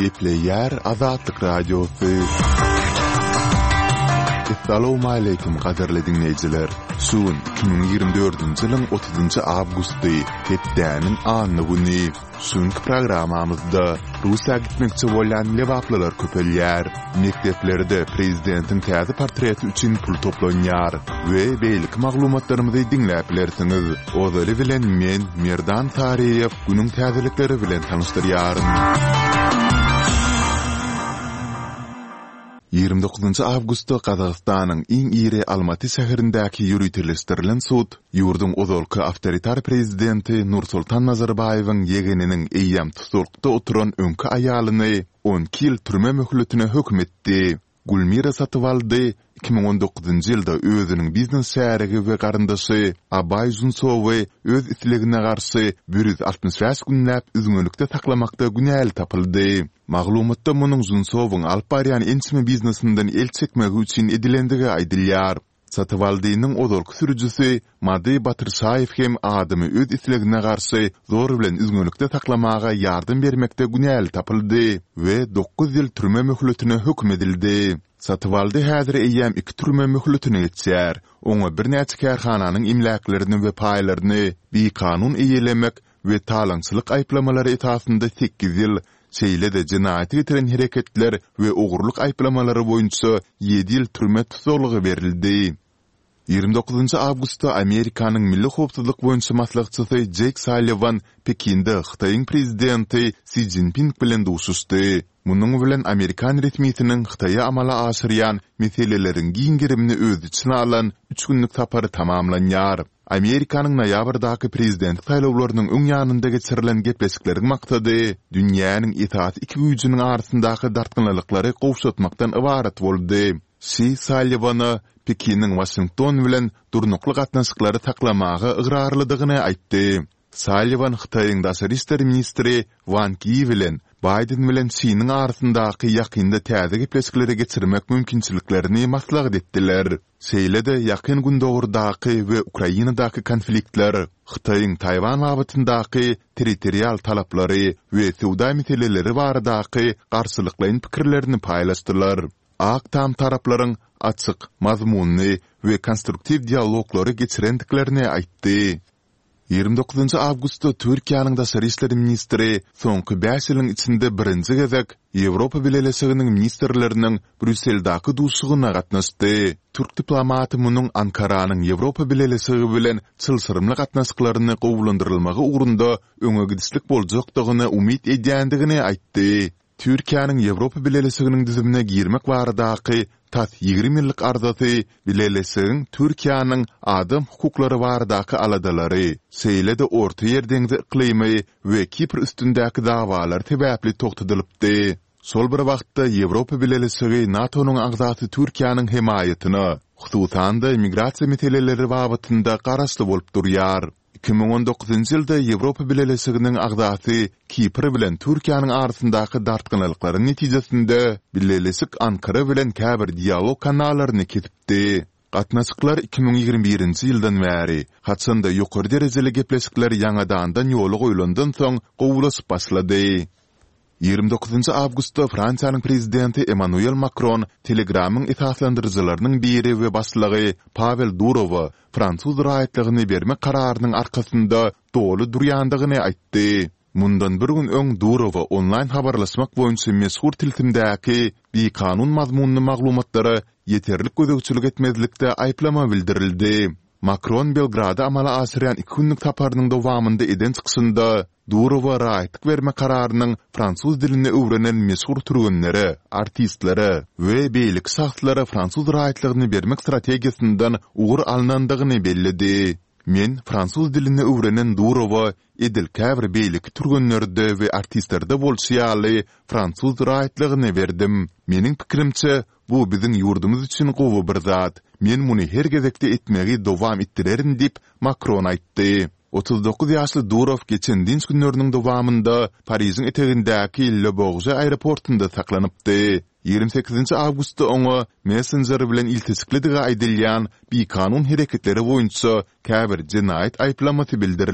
Gepleýär Azatlyk Radiosy. Essalawmaleýkim gadyrly diňleýjiler! Şu gün 2024-nji ýylyň 30-njy awgusty, hepdäniň anna güni. Şu günki programmamyzda Russiýa gitmekçi bolýan lebaplylar köpelýär. Mekdeplerde prezidentiň täze portreti üçin pul toplanýar we beýleki maglumatlarymyzy diňläp bilersiňiz. Ozaly bilen men, Merdan Saryýew, günüň täzelikleri bilen tanyşdyrýaryn. 29 awgustda Gazagystanyň iň iri Almaty şäherindäki ýöriteleşdirilen sud ýurduň ozalky awtoritar prezidenti Nursultan Nazarbaýewiň ýegeniniň eýýäm tussaglykda oturan öňki aýalyny 12 ýyl türme möhletine höküm etdi. Gulmira Satybaldy 2019-njy ýylda özüniň biznes şärigi we garyndaşy Abaý Žunsowy öz islegine garşy 165 günläp üzňelikde saklamakda günäli tapyldy. Maglumatda munuň Žunsowyň alyp barýan ençeme biznesinden el çekmegi üçin edilendigi aýdylýar. Satybaldynyň ozalky sürüjisi Mady Batyrşaýew hem adamy öz islegine garşy zor bilen üzňelikde saklamaga ýardam bermekde günäli tapyldy we dokuz ýyl türme möhletine höküm edildi. Satybaldy häzir eýýäm iki türme möhletini geçýär. Oňa birnäçe kärhananyň emläklerini we paýlaryny bikanun eýelemek we talaňçylyk aýyplamalary esasynda sekiz ýyl, şeýle-de jenaýata getiren hereketler we ogurlyk aýyplamalary boýunça ýedi ýyl türme tussaglygy berildi. 29 awgustda Amerikanyň Milli howpsuzlyk boýunça maslahatçysy Jeýk Salliwan Pekinde Hytaýyň prezidenti Si Szinpin bilen duşuşdy. Munuň bilen amerikan resmisiniň Hytaýa amala aşyrýan meseleleriň giň gerimini öz içine alan üç günlük sapary tamamlanýar. Amerikanyň noýabrdaky prezidentlik saýlawlarynyň öň ýanynda geçirilen gepleşikleriň maksady dünýäniň esasy iki güýjüniň arasyndaky dartgynlylyklary gowşatmakdan ybarat boldy. Şi Salliwana Pekiniň Waşington bilen durnukly gatnaşyklary saklamaga ygrarlydygyny aýtdy. Salliwan Hytaýyň daşary işler ministri Wang Ýi bilen Baýden bilen Şiniň arasyndaky ýakynda täze gepleşikleri geçirmek mümkinçiliklerini maslahat etdiler. Şeýle-de Ýakyn Gündogardaky we Ukrainadaky konfliktler, Hytaýyň Taýwan babatyndaky territorial talaplary we söwda meseleleri baradaky garşylyklaýyn pikirlerini paýlaşdylar. Ak Tam taraplaryň açyk, mazmunly we konstruktiw dialoglary geçirendiklerini aýtdy. 29 awgustda Türkiýäniň daşary işler ministri soňky bäş ýylyň içinde birinji gezek Ýewropa Bileleşiginiň ministrleriniň Brýusseldäki duşuşygyna gatnaşdy. Türk diplomaty munuň Ankaranyň Ýewropa Bileleşigi bilen çylşyrymly gatnaşyklaryny gowulandyrylmagy ugrunda öňe gidişlik boljakdygyna umyt edýändigini aýtdy. Türkiýäniň Ýewropa Bileleşiginiň düzümine girmek baradaky tas 20 ýyllyk arzasy Bileleşigiň Türkiýäniň adam hukuklary baradaky aladalary, şeýle-de Ortaýer deňzi yklymy we Kipr üstündäki dawalar sebäpli togtadylypdy. Şol bir wagtda Ýewropa Bileleşigi NATO-nyň agzasy Türkiýäniň hemaýatyna, hususan-da migrasiýa meseleleri babatynda garaşly bolup durýar. 2019-njy ýylda Ýewropa Bileleşiginiň agzasy Kipr bilen Türkiýäniň arasyndaky dartgynlyklaryň netijesinde Bileleşik Ankara bilen käbir dialog kanallaryny kesipdi. Gatnaşyklar 2021-nji ýyldan bäri, haçan-da ýokary derejeli gepleşikler ýaňadandan ýola goýlandan soň gowulaşyp başlady. 29 awgustda Fransiýanyň prezidenti Emmanuel Makron Telegramyň esaslandyryjylarynyň biri we başlygy Pawel Durowa fransuz raýatlygyny bermek kararynyň arkasynda doly durýandygyny aýtdy. Mundan bir gün öň Durowa onlaýn habarlaşmak boýunça meşhur tilsimdäki bikanun mazmunly maglumatlara ýeterlik gözegçilik etmezlikde aýyplama bildirildi. Makron Belgrada amala aşyrýan iki günlük saparynyň dowamynda eden çykyşynda Durowa raýatlyk bermek kararynyň fransuz dilini öwrenen meşhur türgenlere, artistlere we beýleki şahslara fransuz raýatlygyny bermek strategiýasyndan ugur alnandygyny belledi. Men fransuz dilini öwrenen Durowa edil käbir beýleki türgenlerde we artistlerde bolşy ýaly fransuz raýatlygyny berdim. Meniň pikirimçe, bu biziň ýurdumyz üçin gowy bir zat. Men muny her gezekde etmegi dowam etdirerin diýip, Makron aýtdy. 39 ýaşly Durow geçen dynç günleriniň dowamynda Parižiň etegindäki Le Bourget aeroportunda saklanypdy. 28 awgustda oňa messenjer bilen ilteşiklidigi aýdylýan bikanun hereketleri boýunça käbir jenaýat aýyplamasy bildirildi.